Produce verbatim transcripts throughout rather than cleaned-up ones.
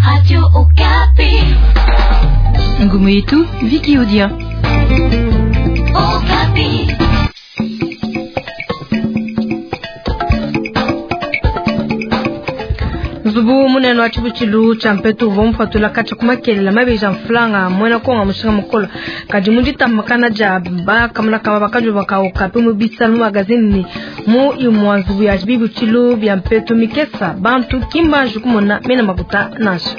Radio Okapi. Ngumu yetu Viki Odia. Okapi. Nzubu munene wa tshibutshilu tshia mpetu uvua mupatula katshia ku makelela mabeji a mfulanga muena konga mushinga mukolo kadi mu ditambakana dia bakamonakama bakadi bakauka pe mu bisalu mu magazine ni mu imua nzubu ya bibutshilu bia mpetu mikesa bantu kimbanji kumona mena makuta nansha.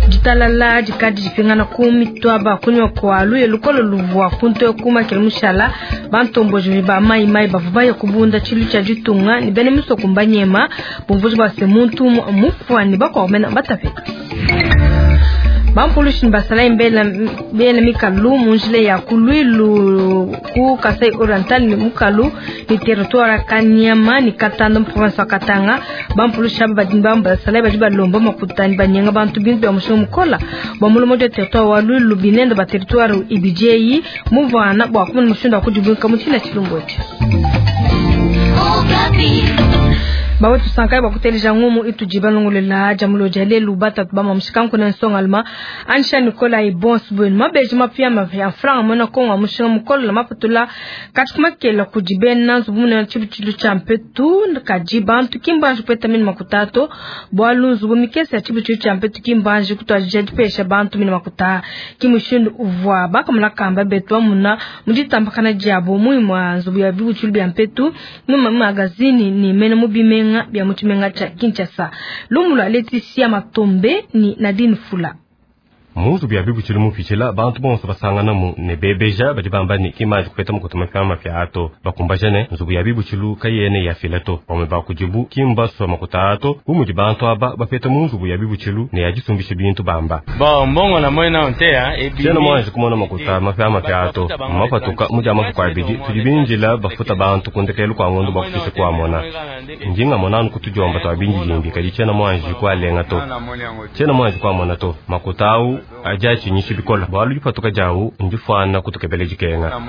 Ditalala dikadi dipingana ku mitwaba kunywa kwa luye lukolo luvua kuntu kumakela mushala bantomboji ba mai mai bavua baya kubunda tshilu tshia ditunga ni bene misoko mbanyema bumvuji base muntu mufwani bakwamena batapeka. Bampulushi basala imbela bela mikalu munjile ya kulwilu ku Kasai Oriental ni mukalu ni territoire Kanyama ni Katanda mu province wa Katanga. Bampulushi aba badi basala badi balomba makutani banyenga bantu bintu bya mushinga mukola bwa mulomo de territoire wa Lwilu binende ba territoire ibijeyi muvana bwa kumena mushinga kujibwinka mutina chilumboche. Bawe tusankai bakuteleja ngumu itujiba lungulela jamulo jale lubata tubama mushikanku na nsonga alma Ansha Nicola e bons buen mabeji mapia mapia franga mona konga mushinga mukolo la mapatula katikuma kela kujibena nzubu na chibuchilu cha mpetu kajibantu kimbanji peta mini makutato bwalu nzubu mikesa ya chibuchilu cha mpetu kimbanji kutwajija dipesha bantu mini makuta kimushindu uvwa bakamula kamba betwa muna mujitambakana jabo muimwa nzubu ya bibuchilu bya mpetu mu magazini ni mene mubime bya muchimenga cha Kinshasa. Lumula Leticia Matombe ni Nadine Fula. Muzu bya bibutshilu mupitshila bantu bonso basanganamu ne bebeja badi bamba ne kimaji kupeta mukutu mapya mapya ato bakumbaja ne nzubu ya bibutshilu kayene ya filato bamwe bakujibu kimbaswa makuta ato bumudi bantu aba bapeta mu nzubu ya bibutshilu ne yajisumbisha bintu bamba. Bon mbongo na mwena ontea ebi tshiena mwanji kumona makuta mapya mapya ato mapatuka muja matuku abidi tudi binjila bafuta bantu kundekelu kwa ngondo bakufise kwamona ndinga monanu kutujomba twabinjijimbi kadi tshiena mwanji kwalenga to tshiena mwanji kwamona to makuta au aja chinyisi bikola bwalu dipatuka jawu ndifwana kutukebele dikenga.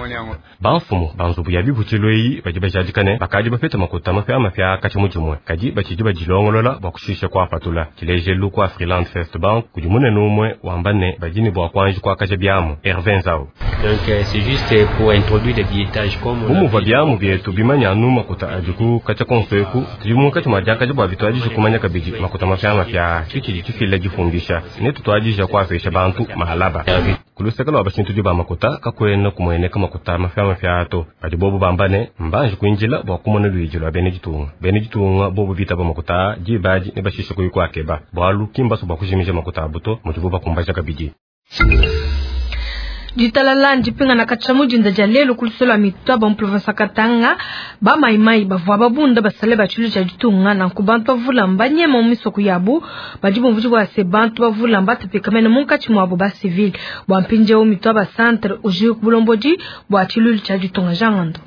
Bamfumu banzubu ya bibutshilu eyi badi bajadikane bakadi bapeta makuta mapya mapya katshi mujimwe kadi batshidi badilongolola bua kushisha kuapatula tshilejelu kwa Freeland First Bank kudi munene umwe wamba ne badini bua kuanji kuakaja biamu Hervé Nzau. Donc c'est juste pour introduire des billettages comme bumuva biamu bietu bimanya anu makuta adiku katshia konso eku tudi munkatshi mua diakaja bua bituadije kumanya kabidi makuta mapya mapya tshitshidi tshifila difumbisha ne tutuadija kuapesha bantu mahalaba. Kuluseka lwa bashintu ba makuta kakwena kumweneka makuta mapya mapya ato badi bobu bambane mbanje kuinjila bua kumona luiji lwa bene ditunga bene ditunga bobu bitaba makuta dibadi ne bashisha kuyikwakeba bwalu kimbaso bua kujimija makuta abuto mudibu bakumbaja kabidi. Ditalala ndipingana katshia mudinda dia lelo kulusolo mitwaba mu province Katanga ba maimai bavua babunda basale ba tshilu tshia ditunga nanku bantu bavula mbanyema mu misoko yabu badi bumvuji bua se bantu bavula mbatapika mene munkatshi muabu ba civil bua mpindieu mitwaba centre uji bulombodi bua tshilu tshia ditunga jangando.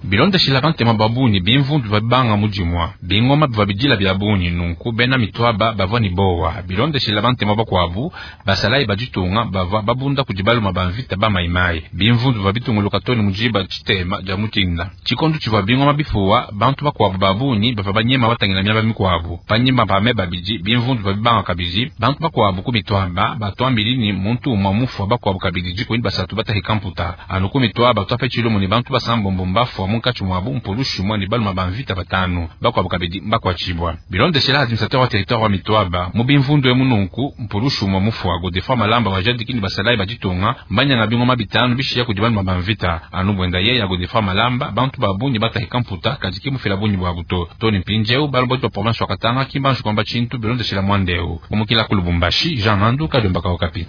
Bilondeshila bantema babunyi bimvundu babanga mujimwa bingoma bivabidila bya bunyi nunku bena mitwaba bavua ni bowa. Bilondeshila bantema bakwabu basalayi baditunga bava babunda kudibaluma bamvita bamaimai bimvundu babitunguluka toni mujiba tshitema dia mutinda tshikondo tshivua bingoma bifuwa bantu bakwabu babunyi bava banyema batangila miaba mikwabu panyima pame babidi bimvundu babibanga kabidi bantu bakwabu ku mitwaba batwambili ni muntu umwa mufwa bakwabu kabidi jikweni basatu batahika mputa anu ku mitwaba twape tshilumu ni bantu basambombo mbafwa munkatshi mwabu mpulushi mwa ni baluma bamvita batanu bakwabu kabidi mbakwatshibwa. Bilondeshela administrateur wa territoire wa mitwaba mu bimvundu emu nunku mpulushi mwa mufwa Godefroid Malamba wajadikini basalayi baditunga mbanyanga bingoma bitanu bishiya kudi baluma bamvita anu bwenda yeya Godefroid Malamba bantu babunyi batahika mputa kadiki mufila bunyi bwa buto toni mpinjeu baloboti ba province wa Katanga kimbanji kwamba tshintu bilondeshela mwandeu kumukila ku Lubumbashi Jean Nandu Kadombaka Okapi.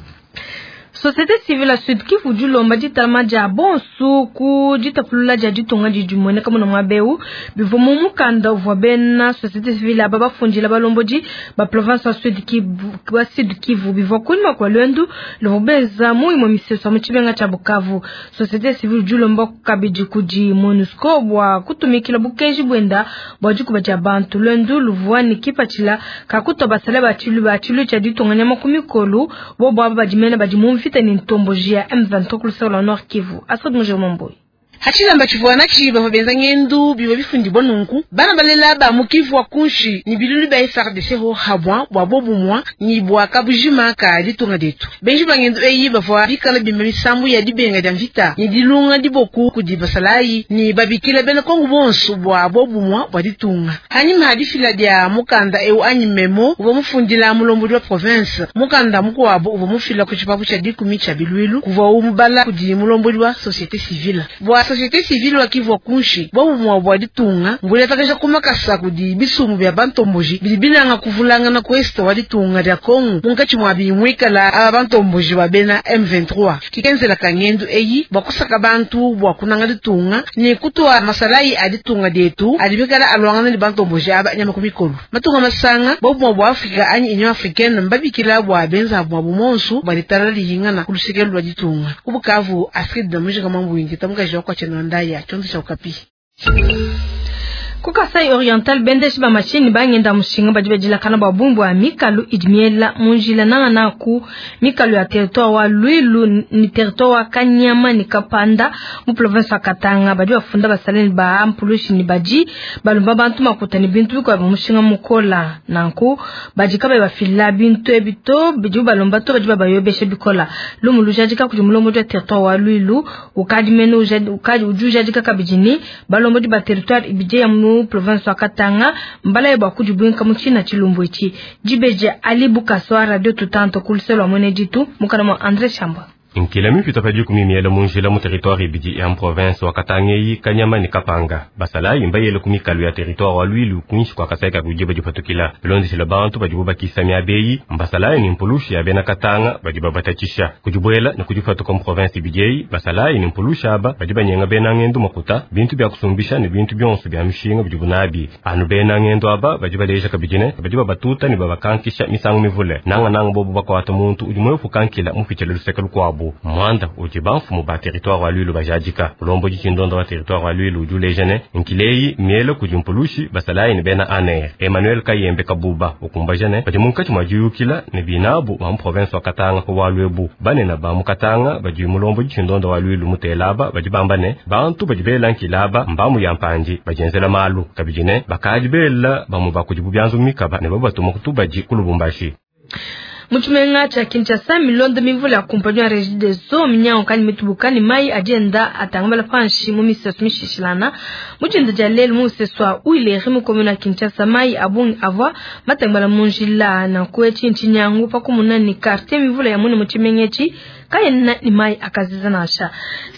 Société civile Sud Kivu dilomba ditalama dia bonsu ku ditapulula dia ditunga didi kamuna mwabeu bivua mu mukanda uvua bena société civile aba bafundila balombodi ba province wa Sud Kivu wa Sud Kivu bivua kunyuma kwa lwendu luvua benza mu imue misesu mu tshimenga tshia Bukavu. Société civile dilomba kabidi kudi MONUSCO bua kutumikila bukenji bwenda bua dikuba dia bantu lwendu luvua ni kipatshila kakuta basale ba tshilu ba tshilu tshia ditunga nyama ku mikolu bobo aba badimene badi mu mvita ni ntomboji ya M vingt-trois kulusolo Nord Kivu. Asad Mujomomboy. Hachilamba chivua nachi bavua benza ngendu bivua bifundibwa nunku bana balela ba mukivu wa kunshi ni bilulu bya F R D C ho habwa bwa bobumwa ni bwa kabujima ka ditunga detu. Benji bangendu eyi bavua bikala bima misambu ya dibenga dia mvita ni dilunga diboku kudi basalayi ni babikila bena Kongo bonso bwa bobumwa bwa ditunga. Hanyuma hadifila dia mukanda eu anyi memo uvua mufundila mulombodi wa province mukanda mukuabo uvua mufila ku tshipapu tshia dikumi tshia bilwilu kuvua umubala kudi mulombodi wa société civile bwa société civile wa Kivu kunshi bobumwa bwa ditunga mbule takasha kumakasa kudi bisumu bya bantomboji bidi binanga kuvulanga na kwesta wa ditunga dia Kongo munkatshi mwa bimwikala aba bantomboji wa bena M vingt-trois kikenzela kangendu eyi bwa kusaka bantu bwa kunanga ditunga ni kutwa masalayi a ditunga dietu adibikala alwangana ni bantomboji aba nyama kumikolo matunga masanga bobumwa bwa Afrika anyi Union Africaine mbabikila bwa benza bwa bumonsu bwa litala lihingana kulusikelo lwa ditunga kubukavu Astrid Namujika mambo wingi tamukaji wa kwa chenandaya chonzo cha Okapi. Ku Kasai Oriental bendeshi ba machine bangenda mushinga badi badilakana bwa bumbu ya mikalu idimiela munjila nanga na ku mikalu ya territoire wa Luilu ni territoire wa Kanyama ni Kapanda mu province ya Katanga badi bafunda basaleni ba ampulushi ni baji balumba bantu makuta ni bintu biko ba mushinga mukola nanku baji kabe bafila bintu ebito bidi balumba to baji babayobeshe bikola lumu lujadika kudi mulombo wa territoire wa Luilu ukadi meno ukadi ujujadika kabijini balombo ba territoire ibije ya mu province wa Katanga mbala yeba kujibwinka muchina chilumbu ichi jibeje alibu kaswa radio tutanto kuliselwa mwene jitu mukana mwa André Shamba. Nkila mipita pa dikumi miela munjila mu territoire ibidi ya province wa Katanga Kanyama ni Kapanga basalayi mbayele ku mikalu ya territoire wa Luilu kunshi kwa Kasai ka kujiba dipatukila bilondeshela bantu badibu bakisa miabeyi mbasalayi ni mpulushi ya bena Katanga badi babatatshisha kujibwela ni kujifatuka mu province ibidi basalayi ni mpulushi aba badi banyenga bena ngendu makuta bintu bya kusumbisha ni bintu byonso bya mishinga bidibu nabi anu bena ngendu aba badi baleja kabidine badi babatuta ni babakankisha misangu mivule nanga nanga bobo bakwata muntu udi mwefu kankila mupitshile luseke lukwabo mwanda udi bamfumu ba territoire wa Luilu bajadika ulombo dichindondo wa territoire wa Luilu udi ulejene nkileyi miele kudi mpulushi basalayi ni bena aner Emmanuel Kayembe Kabuba ukumbajene badi munkatshi mwa diyukila ne binabu ba mu province wa Katanga ko wa Lwebu banena ba mu Katanga badi mulombo dichindondo wa Luilu mutelaba badi bambane bantu badi bela nkilaba mbamu ya mpanji bajenzela malu kabidine bakadi bela bamu bakudi bubyanzu mikaba ne babatuma kutubaji kulubumbashi. Muchimenga cha Kinshasa milondo mivula ya kumpanyo ya Regideso minyango kani mitubuka ni mai agenda atangambala panshi mu miseso mishishilana mujinda ja lelu mu seswa uileri mu komuna Kinshasa mai abungi avwa matangambala munjila na kwechi nchinyangu pakumuna ni quartier mivula ya mune muchimengechi kayena ni mai akaziza nasha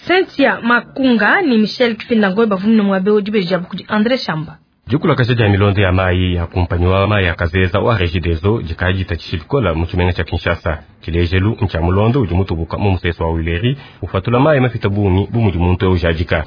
Cynthia Makunga ni Michel Kifinda ngoy bavumina mwabe ojibeja bukudi André Shamba. Dikulakasha dia milondo ya mai ya kumpanywa mai ya kazeza wa Regideso jikaji tachishilikola muchimenga cha Kinshasa chilejelu ncha mulondo udi mutubuka mu museso wa Wileri ufatula mai mafita bungi bumudi muntu eujadika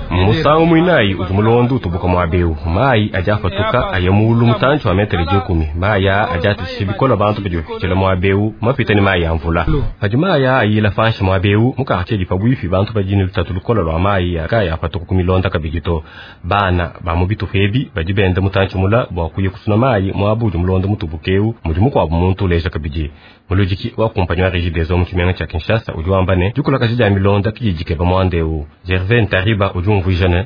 musangu mwinayi udi mulondo utubuka mwabeu mai aja afatuka aya mulu mutantshi wa metere dikumi mai aa aja atishibikola bantu badi bafikila mwabeu mapita ni mai ya mvula padi mai aa ayila fanshi mwabeu mukartie dipa bwifi bantu badini lutatu lukola lwa mai akaya afatuka kumilonda kabidi to bana ba mu bitupa ebi badi benda mutantshi mula bua kuya kusuna mai mwabu udi mulondo mutubukeu mudi mukuabu muntu uleja kabidi muludiki wa kumpanyi wa Regideso mu tshimenga tshia Kinshasa udi wamba ne dikulakaji dia milonda kididikeba muandeu Gervais Ntariba udi umvuija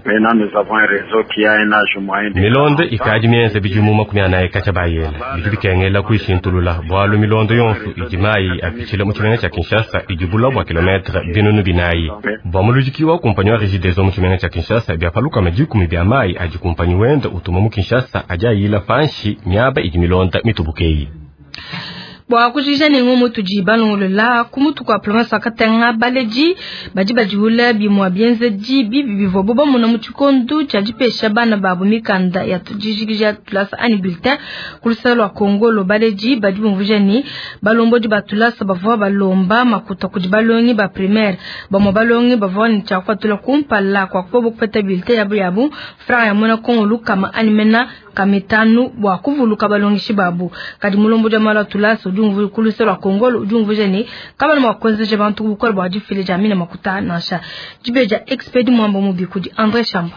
milondo ikadi mienze bidimu makumi anayi katshia bayela bidi bikengela kuishintulula bualu milondo yonso idi mayi apitshila mu tshimenga tshia Kinshasa idi bula bua kilometre binunu binayi bua muludiki wa kumpanyi wa Regideso mu tshimenga tshia Kinshasa biapalukama dikumi bia mayi adi kumpanyi wenda utuma mu Kinshasa adi ayila panshi miaba idi milonda mitubukeyi. Bwa kujija ne ngomo tudi balongolola kumutu kwa province Katanga baleji badi badiula bimwa bienzeji bibi bivwa boba muna mu tshikondo tshia dipesha bana babo mikanda ya tujijikija tulasa ani bulletin kulusala lwa Kongolo baleji badi bumvuja ni balombodi batulasa bavwa balomba makuta kudi balongi ba primaire bamwa balongi bavwa ni tshia kufatula kumpala kwa kubo kupeta bulletin yabo yabo franc ya mona Kongolo kama animena kamitanu bwa kuvuluka balongishi babu kadi mulombo jamala tulasa ujumvu kulusela Kongolo ujumvu jeni kama ni mwakonzeje bantu bukora bwa difile jamina makuta nasha jibeja expedi mwambo mubi kudi André Shamba.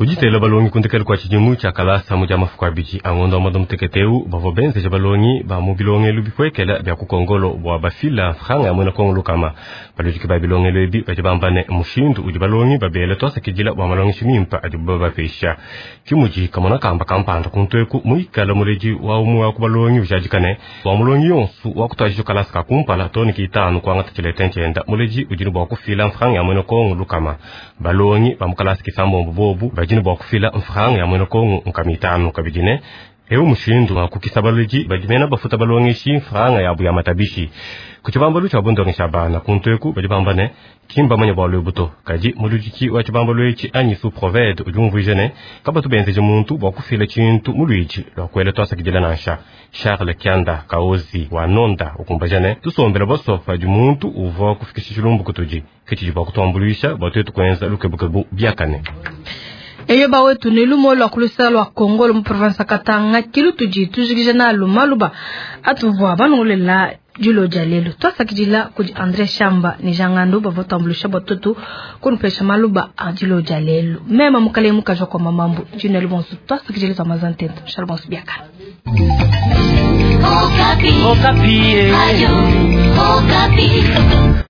Kuditela balongi kundekela kwa tshidimu tshia kalasa mu dia mafuku abidi a ngondo wa mwanda mutekete eu bavua benzeja balongi ba mu bilongelu bipuekela bia ku Kongolo bua bafila mfranga ya muena Kongo lukama. Baludiki ba bilongelu ebi badi bamba ne mushindu udi balongi babela tuasakidila bua malongeshi mimpe adibu babapesha. Kimudi kamona kamba kampanda kuntu eku muikala muledi wa umue wa ku balongi ujadika ne bua mulongi yonsu wa kutuadija kalasa ka kumpala too ne kitanu kuangata tshilete ntshienda muledi udi ne bua kufila mfranga ya muena Kongo lukama. Balongi ba mu kalasa kisambombo bobu badi ne bua kufila mfranga ya muena Kongo nkama itanu kabidi ne eu mushindu wa kukisa baledi badi mena bafuta balongeshi mfranga yabu ya matabishi. Ku tshibambalu tshia bundongesha bana kuntu eku badi bamba ne kimbamanya bualu ebu to kadi muludiki wa tshibambalu etshi anyi sous-provede udi umvuija ne kabatu benzeje muntu bua kufila tshintu mu luidi lua kuela tuasakidila nansha. Charles Kianda Kaozi wa nonda ukumbaja ne tusombela boso padi muntu uvua kufikisha tshilumbu kutudi ke tshidi bua kutuambuluisha bua tuetu kuenza lukebukebu biakane. Eyo bawetu ne lumo lwa kulusala lwa Kongolo mu province Katanga kilu tudi tujikija nalu maluba atuvua banongolela dilo dia lelo twasakidila kudi André Shamba ne Jangando bavua tuambulusha bua tutu kunupesha maluba a dilo dia lelo mema mukale mukaja kwa mamambu dino bonso twasakidila twa mazantento shal bonso biakana. Okapi. Okapi. Ayo, Okapi.